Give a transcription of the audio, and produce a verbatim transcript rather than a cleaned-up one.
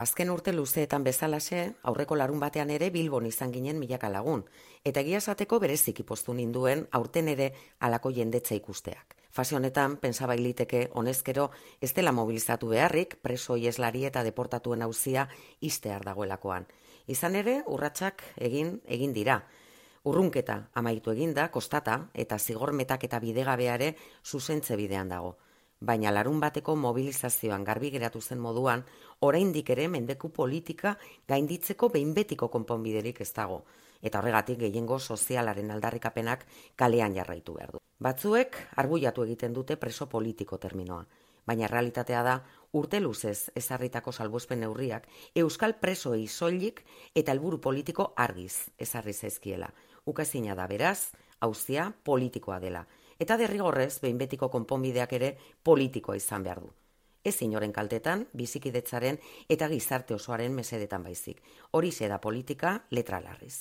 Azken urte luzeetan bezalaxe, aurreko larun batean ere Bilbon izan ginen milaka lagun, eta egia esateko bereziki poztu ninduen aurten ere halako jendetza ikusteak. Fase honetan, pensa bailiteke honezkero ez dela mobilizatu beharrik, preso ieslari eta deportatuen auzia ixtear dagoelakoan. Izan ere, urratsak egin egin dira. Urrunketa amaitu eginda, kostata, eta zigor metaketa bidegabeare zuzentze bidean dago. Baina larun bateko mobilizazioan garbi geratu zen moduan, oraindik ere mendeku politika gainditzeko behin betiko konponbiderik ez dago, eta horregatik gehiengo sozialaren aldarrikapenak kalean jarraitu behar du. Batzuek arguiatu egiten dute preso politiko terminoa, baina realitatea da urte luzez ezarritako salbuespen neurriak euskal presoei soilik eta helburu politiko argiz ezarri zaizkiela. Ukaezina da beraz, auzia politikoa dela. Eta derrigorrez, behin betiko konponbideak ere politikoa izan behar du. Ez inoren kaltetan, bizikidetzaren eta gizarte osoaren mesedetan baizik. Horixe da politika letra larriz.